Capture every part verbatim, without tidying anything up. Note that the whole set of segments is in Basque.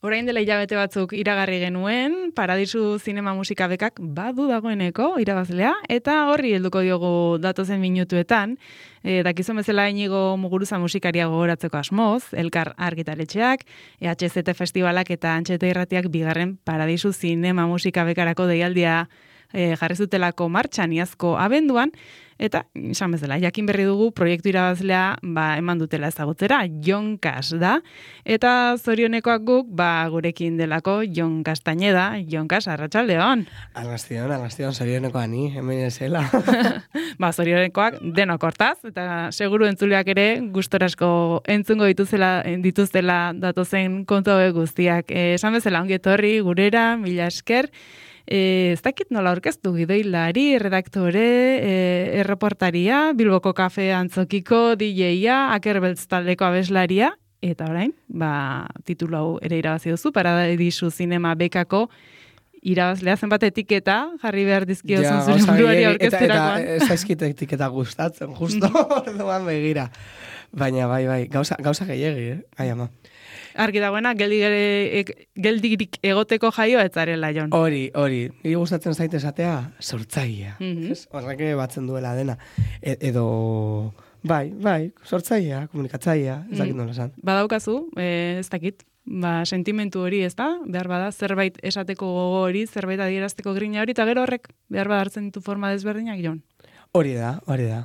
Orain dela hilabete batzuk iragarri genuen, Paradisu Zinema Musika Bekak badu dagoeneko irabazlea, eta horri helduko diogu datozen minutuetan, e, dakizun bezala Inigo Muguruza musikaria gogoratzeko asmoz, Elkar Argitaletxeak, E H Z Festivalak eta Antxeta Irratiak bigarren Paradisu Zinema Musika Bekarako deialdia e, jarri zutelako martxan iazko abenduan, eta, esan bezala, jakin berri dugu proiektu irabazlea ba, eman dutela ezagutzera, Jon Kas da, eta zorionekoak guk, ba, gurekin delako Jon Castañeda. Jon Kas, arratsaldeon. Arrastion, arrastion, zorionekoa ni, hemen ezela. ba, zorionekoak denok hortaz, eta seguru entzuleak ere gustorasko entzungo dituzela, dituztela datozen kontu hauek guztiak. E, esan bezala, ongi etorri gurera, mila esker. E, ez dakit nola aurkeztu gidoilari, redaktore, e, erreportaria, Bilboko Kafe Antzokiko D J-a, Akerbeltz taldeko abeslaria, eta orain, ba, titulu hau ere irabazi duzu, Paradisu Zinema Bekako irabazlea zenbat etiketa jarri behar dizkiozun zure buruari aurkezterakoan. Eta, eta ez zaizkit etiketa gustatzen, justo orduan begira. Baina, bai, bai, gauza, gauza gehiagi, eh? Ai, ama. Argi dagoena, geldirik, geldirik egoteko jaioa etzarela, Jon. Hori, hori. Niri gustatzen zaite esatea, sortzailea. Mm-hmm. Horrek batzen duela dena. E, edo, bai, bai, sortzailea, komunikatzailea, ez dakit nola esan. Badaukazu, eh, ez dakit, ba, sentimentu hori, ez da? Behar bada, zerbait esateko gogo hori, zerbait adierazteko grina hori, eta gero horrek, behar bada hartzen ditu forma desberdinak, Jon. Hori da, hori da.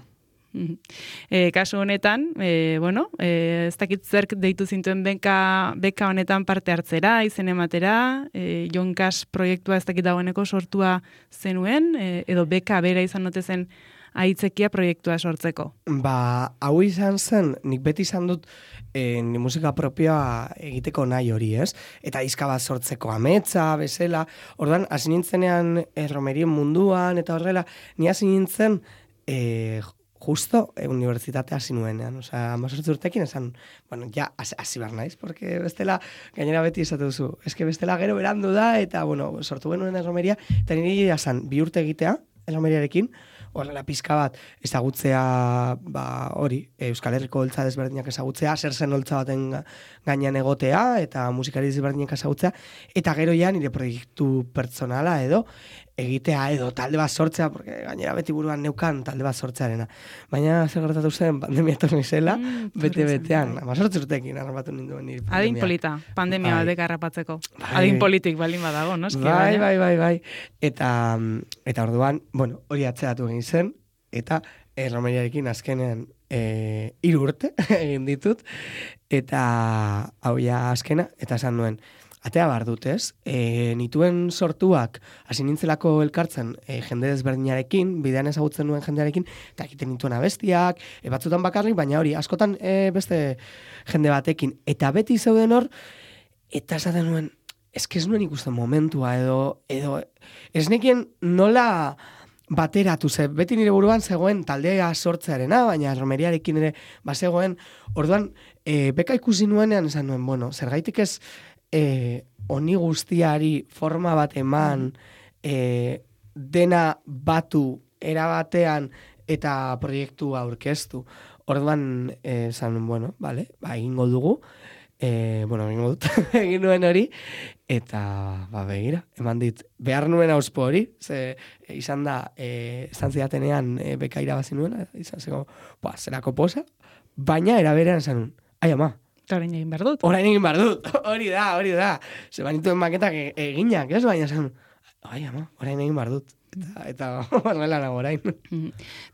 E, kasu honetan, e, bueno, e, ez dakit zerk deitu zintuen beka, beka honetan parte hartzera, izen ematera, e, Jon Kas proiektua ez dakit dagoeneko sortua zenuen, e, edo beka bera izan note zen aitzekia proiektua sortzeko. Ba, hau izan zen, nik beti izan dut e, ni musika propioa egiteko nahi hori, ez? Eta izka bat sortzeko ametsa, bezala. Orduan, hasi nintzenean e, romerien munduan, eta horrela, ni hasi nintzen e, justo e, unibertsitatea hasi nuenean, osea, hamazortzi urtekin esan, bueno, ja, hasi behar naiz, porque bestela, gainera beti esatu duzu, eske bestela gero berandu da, eta, bueno, sortu genuen erromeria, eta niri esan, bi urte egitea, erromeriarekin, horrela pizka bat, ezagutzea, ba, hori, Euskal Herriko holtza desberdinak ezagutzea, zer zen holtza baten gainean egotea, eta musikari desberdinak ezagutzea, eta gero ja nire proiektu pertsonala edo, egitea edo talde bat sortzea, porque gainera beti buruan neukan talde bat sortzearena. Baina zer gertatu zen, pandemia etorri zela, mm, bete-betean, hamazortzi urtekin harrapatu ninduen nire pandemia. Adin polita, pandemia bai. batek harrapatzeko. Bai. Adin politik baldin badago, no? Eski, bai, baina. bai, bai, bai. Eta, eta orduan, bueno, hori atzeratu egin zen, eta erromeriarekin azkenean e, hiru urte egin ditut, eta hau ja azkena, eta esan nuen, atea bar dut, ez? E, nituen sortuak, hasi nintzelako elkartzen e, jende desberdinarekin, bidean ezagutzen nuen jendearekin, eta egiten nituen abestiak, e, batzutan bakarrik, baina hori, askotan e, beste jende batekin. Eta beti zeuden hor, eta esaten nuen, eske ez nuen ikusten momentua, edo, edo ez nekien nola bateratu ze, beti nire buruan zegoen taldea sortzearena, baina romeriarekin ere bazegoen, orduan, e, beka ikusi nuenean esan nuen, bueno, zergaitik ez E, honi guztiari forma bat eman, e, dena batu erabatean eta proiektua aurkeztu. Orduan, esan, e, bueno, vale, ba, egingo dugu, e, bueno, egingo dut, egin nuen hori, eta, ba, begira, eman dit, behar nuen auspo hori, ze, e, izan da, e, esan zidatenean e, beka irabazi nuen, izan zego, ba, zerako posa, baina eraberean esan nuen, ai ama, Orain egin behar dut. Orain egin behar dut, hori da, hori da. Ze banituen maketak eginak, ez? Baina esan, ai ama, orain egin behar dut. Eta, eta horrela nago orain.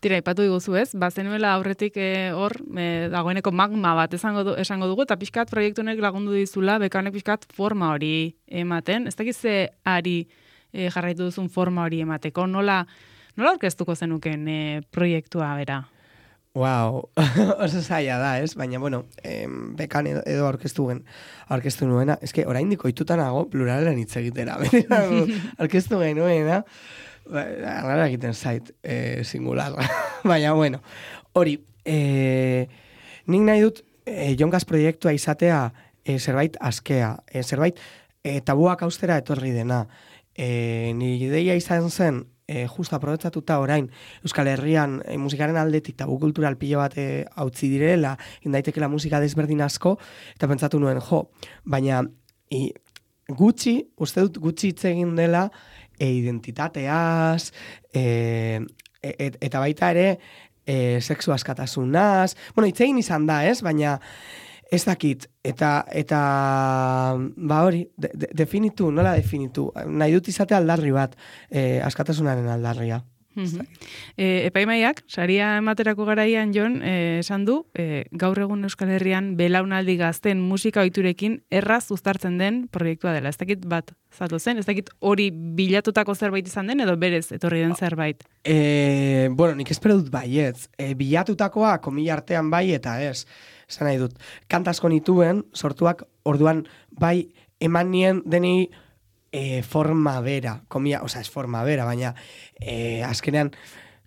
Tira, ipatu diguzu ez, bazenuela aurretik eh, hor, eh, dagoeneko magma bat esango, du, esango dugu, eta pixkat proiektu honek lagundu dizula, bekanek pixkat forma hori ematen. Ez dakiz ze ari eh, jarraitu duzun forma hori emateko, nola, nola orkestuko zenuken eh, proiektua bera? Wow, oso zaila da, ez? Baina, bueno, em, bekan edo, edo aurkeztu gen, aurkeztu nuena. Ez que, orain diko itutanago pluralen hitz egitera. Aurkeztu genuena, arrara egiten zait, e, singular. Baina, bueno, hori, e, nik nahi dut, e, Jon Kas proiektua izatea e, zerbait askea, e, zerbait e, tabuak austera etorri dena. E, nire ideia izan zen, E, justo aprobetsatuta orain Euskal Herrian e, musikaren aldetik tabu kultural pilo bat e, hautzi direla, indaitekela musika desberdin asko, eta pentsatu nuen, jo, baina i, gutxi, uste dut gutxi hitz egin dela e, identitateaz, e, et, eta baita ere e, sexu askatasunaz, bueno, hitz egin izan da, ez? Baina ez dakit, eta, eta ba hori, de, de, definitu, nola definitu, nahi dut izate aldarri bat, e, askatasunaren aldarria. Mm-hmm. E, epaimaiak, saria ematerako garaian Jon, e, esan du, e, gaur egun Euskal Herrian belaunaldi gazten musika ohiturekin erraz uztartzen den proiektua dela. Ez dakit bat zatu zen, ez dakit hori bilatutako zerbait izan den, edo berez etorri den zerbait? E, bueno, nik espero dut baietz. E, bilatutakoa komila artean bai eta ez. Esan nahi dut, kantasko nituen, sortuak orduan bai eman nien deni E, forma bera, komia, oza, ez forma bera, baina e, azkenean,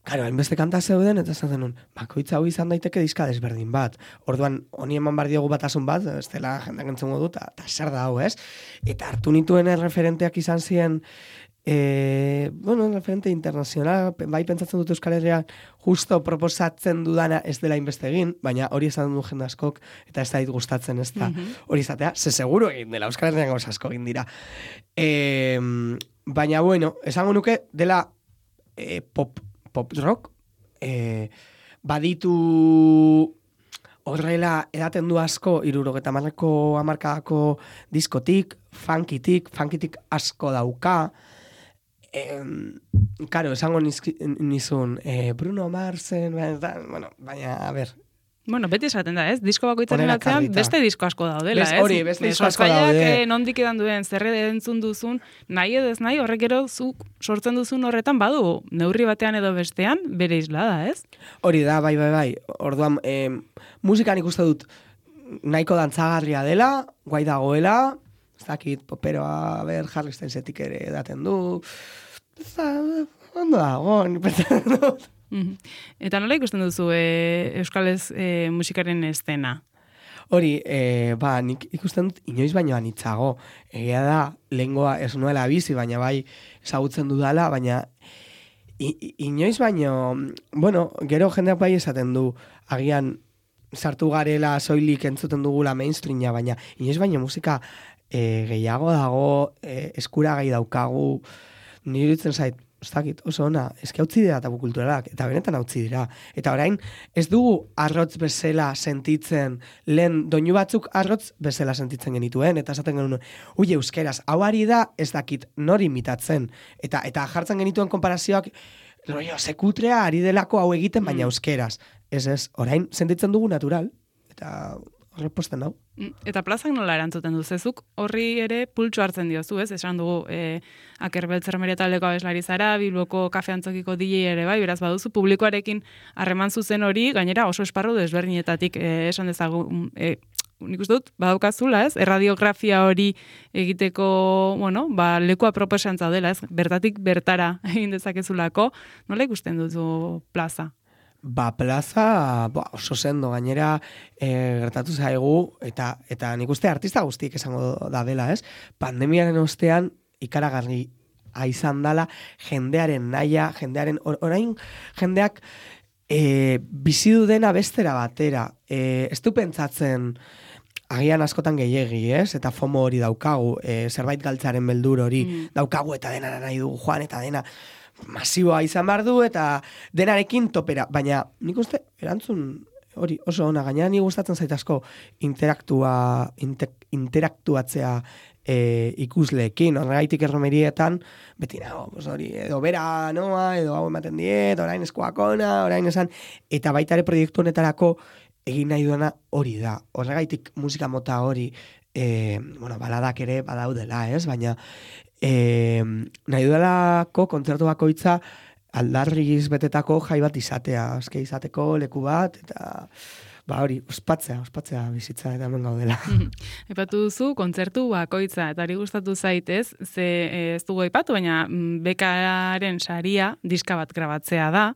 karo, hainbeste kanta zeuden, eta esan zenun, bakoitza hau izan daiteke diska desberdin bat. Orduan, honi eman bar diogu batasun bat, ez dela jendak entzungo dut, eta zer da hau, ez? Eta hartu nituen referenteak izan ziren, e, bueno, referente internazional, bai pentsatzen dut Euskal Herria justo proposatzen dudana ez dela inbeste egin, baina hori esan du jende askok, eta ez da dit gustatzen ez da mm-hmm. hori izatea, ze seguro egin dela, Euskal Herrian gauz asko egin dira. E, baina, bueno, esango nuke dela e, pop, pop rock, e, baditu horrela edaten du asko, irurogeta marreko amarkadako diskotik, funkitik, funkitik asko dauka, Eh, karo, esango nizki, nizun eh, Bruno Marsen, bueno, baina, a ber. Bueno, beti esaten da, ez? Disko bakoitzaren atzean beste disko asko daudela, Bez, ez? Hori, beste disko asko daude. Eh, nondik edan duen, zerre entzun duzun, nahi edez nahi, horrek ero zu sortzen duzun horretan badu, neurri batean edo bestean, bere islada, ez? Hori da, bai, bai, bai. Orduan, eh, musikan ikuste dut nahiko dantzagarria dela, guai dagoela, ez dakit, poperoa, ber, Harry Stylesetik ere edaten du, ondo dago, nipetan dut. Mm-hmm. Eta nola ikusten duzu e, Euskalez e, musikaren estena? Hori, e, ba, nik ikusten dut inoiz baino anitzago. Egia da, lehengoa ez nuela bizi, baina bai ezagutzen dudala, baina i, i, inoiz baino, bueno, gero jendeak bai esaten du, agian sartu garela soilik entzuten dugula mainstreama, baina inoiz baino musika e, gehiago dago, e, eskuragai daukagu, nire ditzen zait, ez dakit, oso ona, eski hautzi dira tabu kulturalak, eta benetan hautzi dira. Eta orain, ez dugu arrotz bezala sentitzen, lehen doinu batzuk arrotz bezala sentitzen genituen, eta esaten genuen, ui, euskeraz, hau ari da, ez dakit, nori imitatzen. Eta eta jartzen genituen konparazioak, rollo, sekutrea ari delako hau egiten, baina mm. euskeraz. Ez ez, orain, sentitzen dugu natural, eta horreposten hau. Eta plazak nola erantzuten duzezuk, horri ere pultsu hartzen diozu, ez? Esan dugu, e, Akerbeltzer Meria taldeko abeslari zara, Bilboko kafe antzokiko D J ere bai, beraz baduzu publikoarekin harreman zuzen hori, gainera oso esparru desberdinetatik e, esan dezagu, e, nik uste dut, badaukazula, ez? Erradiografia hori egiteko, bueno, ba, lekua proposantza dela, ez? Bertatik bertara egin dezakezulako, nola ikusten duzu plaza? Ba, plaza ba, oso sendo, gainera e, gertatu zaigu, eta eta nik uste artista guztiek esango da dela, ez? Pandemiaren ostean ikaragarri izan dala jendearen naia, jendearen, or, orain jendeak e, bizi du dena bestera batera. E, ez du pentsatzen agian askotan gehiegi, ez? Eta fomo hori daukagu, e, zerbait galtzaren beldur hori mm. daukagu, eta dena nahi dugu joan, eta dena masiboa izan behar du, eta denarekin topera. Baina nik uste, erantzun hori oso ona, gainera ni gustatzen zait asko interaktua, inter, interaktuatzea e, ikusleekin, horregaitik erromerietan, beti nago, hori, edo bera noa, edo hau ematen diet, orain eskoakona, orain esan, eta baita ere proiektu honetarako egin nahi duena hori da. Horregaitik musika mota hori, e, bueno, baladak ere badaudela, ez? Baina E, nahi duelako kontzertu bakoitza aldarriz betetako jai bat izatea, azke izateko leku bat, eta ba hori, ospatzea, ospatzea bizitza eta hemen gaudela. Epatu duzu, kontzertu bakoitza, eta hori gustatu zaitez, ze ez dugu aipatu, baina bekaren saria diska bat grabatzea da,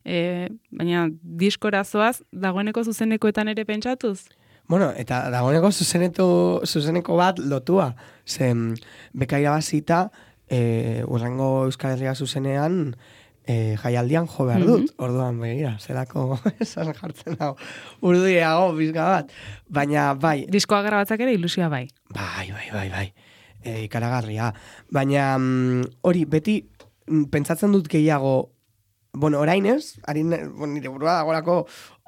e, baina diskorazoaz dagoeneko zuzenekoetan ere pentsatuz? Bueno, eta dagoeneko zuzeneto, zuzeneko bat lotua. Zen, beka irabazita, e, urrengo Euskal Herria zuzenean, e, jaialdian jo behar dut. Mm-hmm. Orduan, begira, zelako esan jartzen dago. Urduiago, bizka bat. Baina, bai. Diskoa grabatzak ere ilusioa bai. Bai, bai, bai, bai. e, ikaragarria. Baina hori, mm, beti mm, pentsatzen dut gehiago, bueno, orain ez, harin, bueno, nire burua dagorako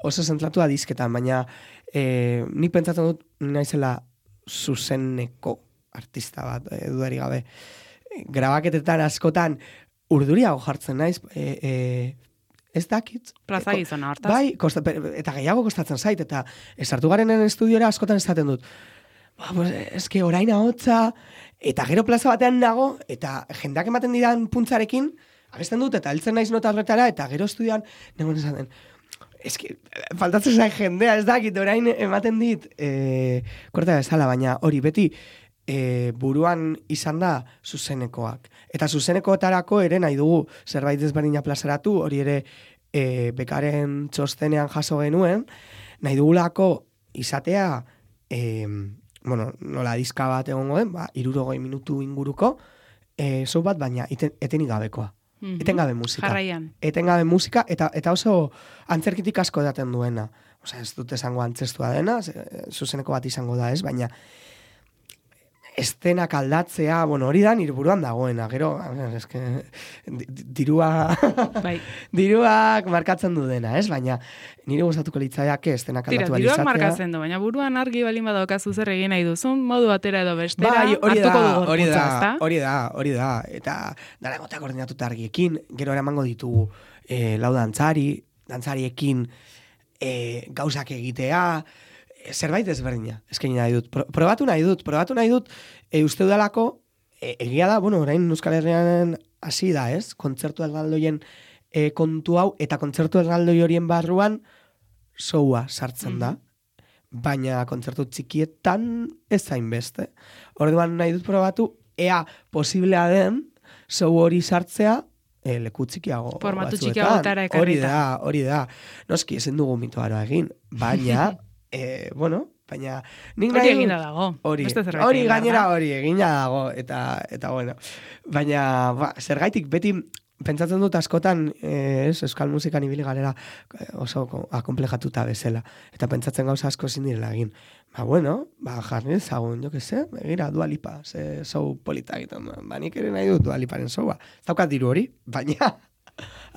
oso zentratua dizketan, baina e, nik pentsatzen dut naizela zuzeneko artista bat, e, dudari gabe. Grabaketetan askotan urduriago jartzen naiz, e, e, ez dakit. Plaza gizona, hortaz. Bai, kosta, eta gehiago kostatzen zait, eta esartu garenen estudiora askotan esaten dut. Ba, pues, eske orain ahotsa, eta gero plaza batean nago, eta jendeak ematen didan puntzarekin, abesten dut, eta heltzen naiz nota horretara, eta gero estudioan, nengoen esaten, eske, faltatzen zain jendea, ez dakit, orain ematen dit, e, korta bezala, baina hori beti, E, buruan izan da zuzenekoak. Eta zuzenekoetarako ere nahi dugu zerbait desberdina plazaratu, hori ere e, bekaren txostenean jaso genuen, nahi dugulako izatea, e, bueno, nola dizka bat egongo den, ba, irurogei minutu inguruko, e, zau bat, baina eten, etenik gabekoa. Mm-hmm. Etengabe musika. Jarraian. Etengabe musika, eta, eta oso antzerkitik asko daten duena. Osea, ez dut esango antzestua dena, zuzeneko bat izango da ez, baina estenak aldatzea, bueno, hori da nire buruan dagoena, gero, eske, dirua, bai. diruak markatzen du dena, ez? Baina nire gustatuko litzaiake estenak aldatu balizatea. Diruak markatzen du, baina buruan argi balin badaukazu zer egin nahi duzun, modu batera edo bestera, bai, hori da, hori da, ezta? hori da, hori da, eta dara egotea koordinatuta argiekin, gero eramango ditugu eh, lau dantzari, dantzariekin eh, gauzak egitea, zerbait ezberdina, eskaini nahi dut. Pro, probatu nahi dut, probatu nahi dut, e, uste udalako, e, egia da, bueno, orain Euskal Herrian hasi da, ez? Kontzertu erraldoien e, kontu hau, eta kontzertu erraldoi horien barruan showa sartzen da. Mm-hmm. Baina kontzertu txikietan ez zain beste. Orduan nahi dut probatu, ea posiblea den, show hori sartzea, e, leku txikiago formatu batzuetan. txikiagotara ekarrita. Hori da, hori da. Noski, ezin dugu mitoaroa egin, baina... E, bueno, baina nik hori egina dago. Hori, hori gainera hori egina dago eta eta bueno. Baina ba, zergaitik beti pentsatzen dut askotan eh, ez, euskal musikan ibili garela oso akomplejatuta bezala eta pentsatzen gauza asko ezin direla egin. Ba bueno, ba jarri ezagun, jo que sé, begira Dua Lipa, ze show polita egiten. Ba nik ere nahi dut Dua Liparen showa. Ez daukat diru hori, baina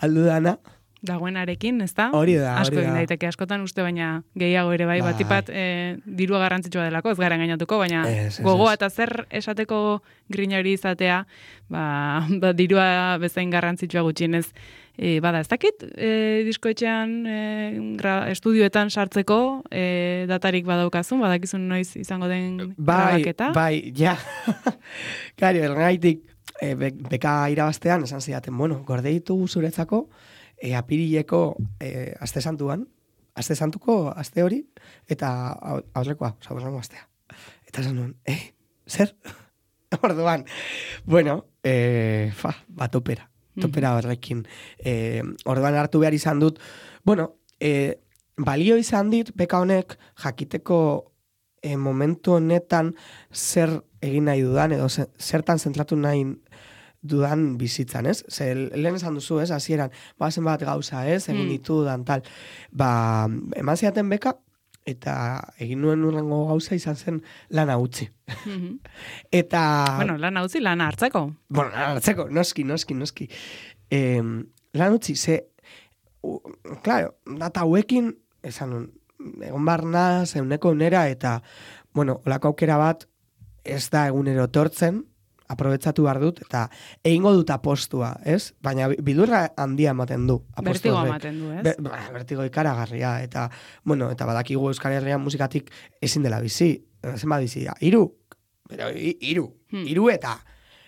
aldu dana dagoenarekin, ezta? Hori da, asko hori egin da. daiteke askotan uste, baina gehiago ere bai, bai. batipat e, dirua garrantzitsua delako, ez gara engainatuko, baina ez, ez, gogoa ez. eta zer esateko grina hori izatea, ba, ba dirua bezain garrantzitsua gutxienez e, bada, ez dakit, e, diskoetxean, e, gra, estudioetan sartzeko e, datarik badaukazun, badakizun noiz izango den bai, grabaketa? Bai, ja. Kari, ergaitik, e, be, beka irabaztean, esan zidaten, bueno, gorde ditugu zuretzako, E, apirileko e, aste santuan, aste santuko aste hori, eta aurrekoa, oza, borrango astea. Eta esan nuen, eh, zer? Orduan, bueno, e, fa, ba, topera, topera horrekin. E, orduan hartu behar izan dut, bueno, e, balio izan dit, beka honek jakiteko e, momentu honetan zer egin nahi dudan, edo zertan zentratu nahi dudan bizitzan, ez? Ze, lehen esan duzu, ez? Hasieran, ba, zenbat gauza, ez? Egin ditudan, tal. Ba, eman ziaten beka, eta egin nuen urrengo gauza izan zen lana utzi. Mm-hmm. Eta... Bueno, lana utzi, lana hartzeko. Bueno, lana hartzeko, noski, noski, noski. Eh, lana utzi, ze... U, claro, data hauekin, esan nun, egon barna, zeuneko unera, eta, bueno, olako aukera bat, ez da egunero tortzen, aprobetsatu behar dut, eta egingo dut apostua, ez? Baina bidurra handia ematen du. Bertigo ematen du, ez? Be, ba, bertigo ikaragarria, eta, bueno, eta badakigu Euskal Herrian musikatik ezin dela bizi. Zenbat bizi, iru, pero iru, hmm. iru eta,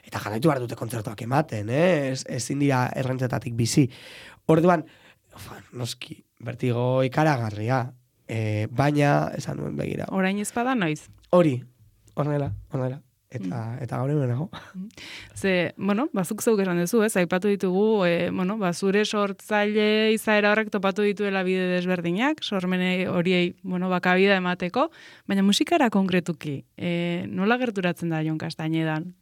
eta jarraitu behar dute kontzertuak ematen, eh? Ez, ezin dira errentzetatik bizi. Orduan, ufa, noski, bertigo ikaragarria, e, baina, esan nuen begira. Orain ezpada noiz? Hori, horrela, horrela. Eta, eta gaur egun nago. Ze, bueno, bazuk zeuk esan duzu, ez, aipatu ditugu, e, bueno, bazure sortzaile izaera horrek topatu dituela bide desberdinak, sormene horiei, bueno, bakabida emateko, baina musikara konkretuki, e, nola gerturatzen da Jon Kastainedan?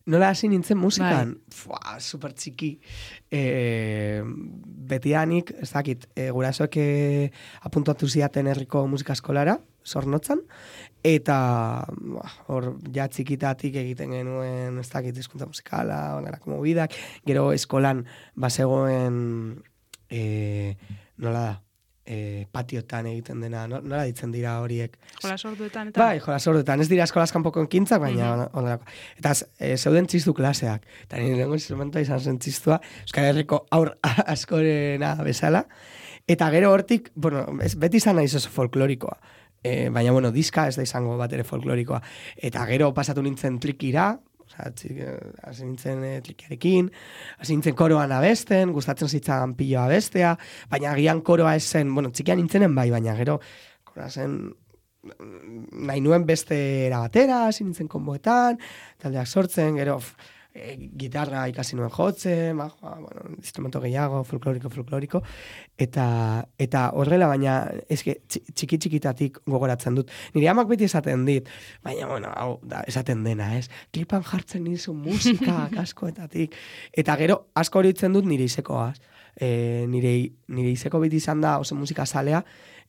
Nola hasi nintzen musikan? Bai. Fua, super txiki. E, betianik, ez dakit, e, gurasoek e, apuntatu ziaten herriko musika eskolara, Zornotzan, eta hor ja txikitatik egiten genuen ez dakit hizkuntza musikala, onelako mobidak, gero eskolan bazegoen e, nola da, e, patiotan egiten dena, no, nola ditzen dira horiek? Jolas orduetan eta? Bai, jolas orduetan, ez dira eskolas kanpoko ekintzak, baina mm-hmm. onelako. Eta e, zeuden txistu klaseak, eta nire lehenko instrumentoa izan zen txistua, Euskal Herriko aur askorena bezala, eta gero hortik, bueno, ez, beti izan naiz oso folklorikoa, e, baina, bueno, diska ez da izango bat ere folklorikoa, eta gero pasatu nintzen tlikira, hasi nintzen e, tlikiarekin, hasi nintzen koroan abesten, gustatzen zitzan piloa abestea, baina agian koroa esen, bueno, txikian nintzenen bai, baina gero, koroa zen, nahi nuen beste era batera, hasi nintzen konboetan, taldeak sortzen, gero, E, gitarra ikasi nuen jotzen, ba, bueno, instrumento gehiago, folkloriko, folkloriko, eta eta horrela, baina eske txiki txikitatik gogoratzen dut. Nire amak beti esaten dit, baina, bueno, hau, da, esaten dena, ez? Klipan jartzen nizu musika, askoetatik. Eta gero, asko horitzen dut nire izekoaz. E, nire, nire izeko beti izan da oso musika zalea,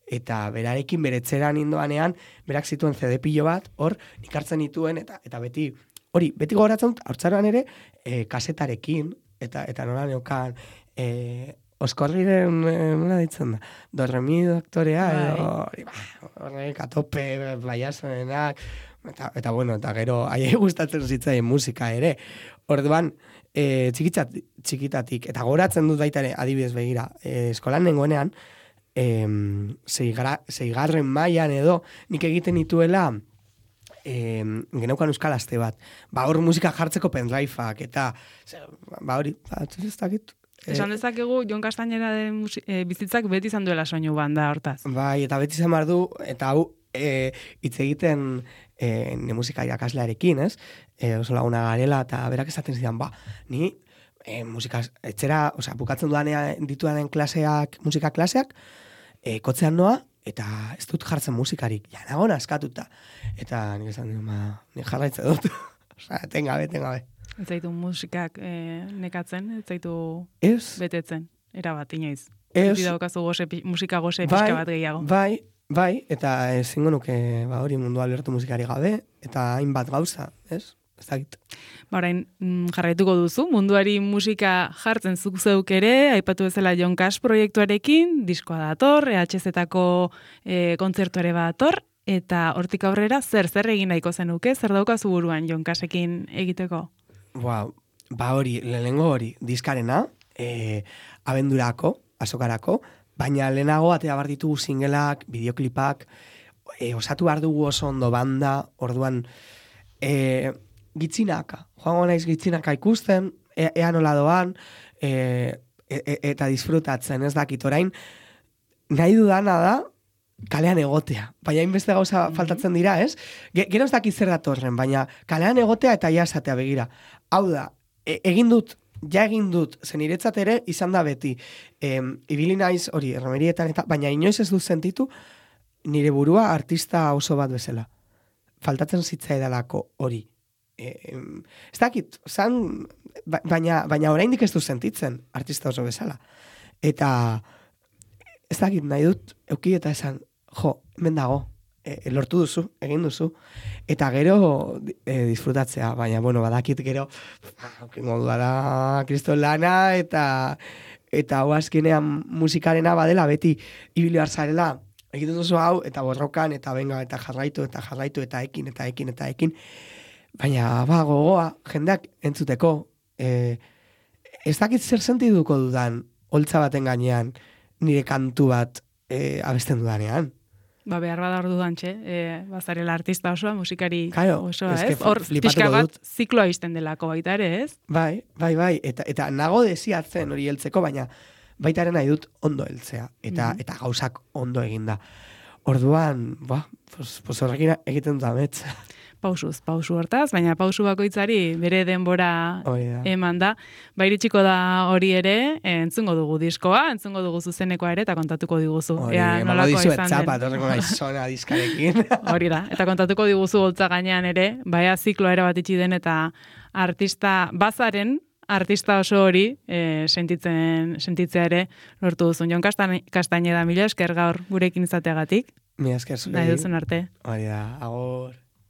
eta berarekin beretzeran indoanean, berak zituen C D pilo bat, hor, nik hartzen dituen, eta eta beti, hori, beti gogoratzen dut, haurtzaroan ere, e, kasetarekin, eta eta nola neokan, e, oskorriren, e, nola ditzen da, dorremi doktorea, edo, hori, ba, horrek, atope, baiazoenak, eta, eta bueno, eta gero, aiei gustatzen zitzaien musika ere. Orduan, e, txikitzat, txikitatik, eta gogoratzen dut baita ere, adibidez begira, e, eskolan nengoenean, e, zeigarren mailan edo, nik egiten dituela, E, geneukan euskal aste bat. Ba, hor musika jartzeko pendriveak, eta, ba, hori, ba, ez dakit. Esan dezakegu, Jon Castañera den e, bizitzak beti izan duela soinu banda hortaz. Bai, eta beti izan behar du, eta hau, e, hitz egiten e, ne musika irakaslearekin, ez? E, oso laguna garela, eta berak esaten zidan, ba, ni e, musika, etxera, osea, bukatzen dudanean ditudanen klaseak, musika klaseak, e, kotzean noa, eta ez dut jartzen musikarik, ja, nago naskatuta. Eta nik esan dut, ma, nik jarraitze dut. Osa, tengabe, tengabe. Ez zaitu musikak e, nekatzen, ez zaitu ez, betetzen, erabat, inoiz. Ez. Ez daukazu goze, musika goze pixka bat gehiago. Bai, bai, eta ezingo nuke, ba, hori mundua lertu musikari gabe, eta hainbat gauza, ez? Ez dakit. Ba, orain, jarraituko duzu, munduari musika jartzen zuk zeuk ere, aipatu bezala Jon Cash proiektuarekin, diskoa dator, E H Z-etako e, kontzertuare dator, eta hortik aurrera zer, zer egin nahiko zenuke, zer daukazu buruan Jon Cashekin egiteko? Ba, ba hori, lehenengo hori, diskarena, e, abendurako, azokarako, baina lehenago atea bar ditugu singelak, bideoklipak, e, osatu behar dugu oso ondo banda, orduan, e, gitzinaka, joango naiz gitzinaka ikusten, e, ea nola doan, e, e, eta disfrutatzen, ez dakit orain, nahi dudana da, kalean egotea, baina hainbeste gauza mm-hmm. faltatzen dira, ez? Gero ez dakit zer datorren, baina kalean egotea eta jasatea begira. Hau da, e, egin dut, ja egin dut, zen iretzat ere izan da beti, e, ibili naiz hori, erromerietan eta, baina inoiz ez dut sentitu, nire burua artista oso bat bezala. Faltatzen zitzaidalako hori. E, ez dakit, zan, baina, baina oraindik ez du sentitzen artista oso bezala. Eta ez dakit nahi dut euki eta esan, jo, hemen dago, e, lortu duzu, egin duzu, eta gero e, disfrutatzea, baina, bueno, badakit gero, modu da kriston lana, eta eta hau azkenean musikarena badela, beti ibili hartzarela, egiten duzu hau, eta borrokan, eta benga, eta jarraitu, eta jarraitu, eta ekin, eta ekin, eta ekin, baina, ba, gogoa, jendeak entzuteko, e, ez dakit zer sentiduko dudan, holtza baten gainean, nire kantu bat e, abesten dudanean. Ba, behar badar dudantxe, e, bazarela artista osoa, musikari claro, osoa, ez? Hor, pixka bat, zikloa izten delako baita ere, ez? Bai, bai, bai, eta, eta nago desiatzen hori heltzeko, baina baita ere nahi dut ondo heltzea, eta, mm-hmm. eta gauzak ondo eginda. Orduan, ba, pos, pos horrekin egiten dut amets. Pausuz, pausu hortaz, baina pausu bakoitzari bere denbora eman da. Ba, iritsiko da hori ere, entzungo dugu diskoa, entzungo dugu zuzenekoa ere, eta kontatuko diguzu. Hori, emango dizu etzapa, torreko gaizona diskarekin. Hori da, eta kontatuko diguzu holtza gainean ere, baina zikloa ere bat itxi den, eta artista bazaren, artista oso hori e, sentitzen, sentitzea ere lortu duzun. Jon Castañeda, mila esker gaur gurekin izateagatik. Mi esker zuri. Nahi duzun arte. Hori da, agur.